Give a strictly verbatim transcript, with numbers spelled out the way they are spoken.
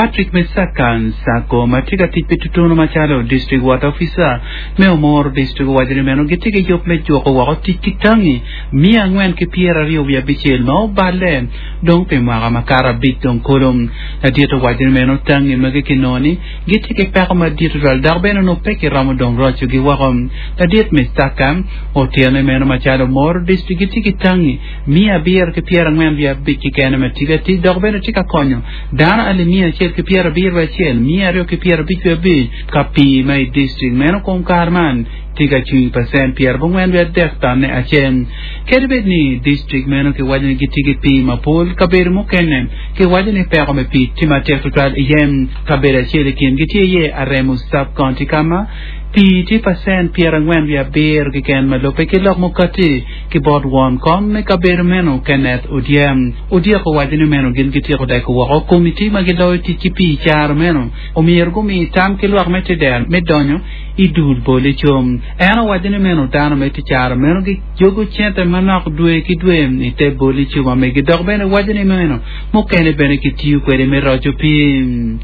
Patrick Mesaka Nsako ma tye ka tic pi tutuno macalo District Water Officer me Omoro District owaco ni meno gitye ki yub me juko woko tic ki tangi miya angwen ki pyeraryo wiye abicel ma oballe dong pi mwaka makato abic dong kulu. Ladit owaco ni meno tangi magi kinongo ni gitye ki peko madit tutwal dok bene onongo pe kiromo dong rocogi woko. Ladit Mesaka otito ni meno macalo Omoro District gitye ki tangi miya abiro ki pyerangwen wiye abic keken ma tye ka tic dok bene tye ka konyo dano alip miya acel ki pyerabiro wiye acel miya aryo ki pyerabic wiye abic ka pii ma i district meno kom kare man tye ka cung pacent pyerabongwen wiye adek tonne acel. Kadi bed ni district meno kiwaco ni gitye ki pii mapol, kabedo mukene kiwaco ni peko me pii tye matek tutwal iye. Kabedo acel i kingi tye iye Aremo Sub-County ka ma pii tye pacent pyerangwen wiye abiro keken ma lubbe ki lok mukati ki bot won kom me kabedo meno Kenneth Odyem. Odyek owaco ni meno gin gityeko deko woko komiti ma giloyo tic ki pii i caro meno omyero gumi tam ki lwak me teder me donyo i dul bol icum. En owaco ni meno dano me te caro meno gijogo cente manok dwe ki dwe i te bol icum ma megi dok bene waco ni meno mukene bene kitiyo kwede me roco pii.